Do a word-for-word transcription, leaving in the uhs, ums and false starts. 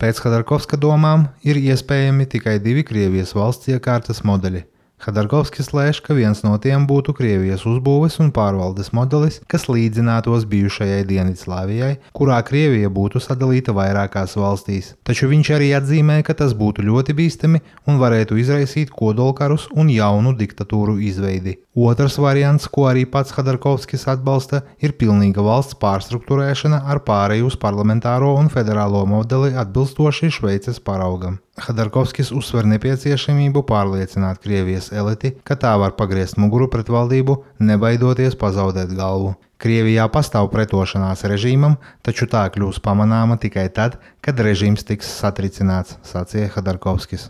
Pēc Khodorkovska domām ir iespējami tikai divi Krievijas valsts iekārtas modeļi. Khodorkovskis lēš, ka viens no tiem būtu Krievijas uzbūves un pārvaldes modelis, kas līdzinātos bijušajai Dienvidslāvijai, kurā Krievija būtu sadalīta vairākās valstīs. Taču viņš arī atzīmē, ka tas būtu ļoti bīstami un varētu izraisīt kodolkarus un jaunu diktatūru izveidi. Otrs variants, ko arī pats Khodorkovskis atbalsta, ir pilnīga valsts pārstruktūrēšana ar pāreju uz parlamentāro un federālo modeli atbilstoši Šveices paraugam. Khodorkovskis uzsver nepieciešamību pārliecināt Krievijas eliti, ka tā var pagriezt muguru pret valdību, nebaidoties pazaudēt galvu. Krievijā pastāv pretošanās režīmam, taču tā kļūs pamanāma tikai tad, kad režīms tiks satricināts, sacīja Khodorkovskis.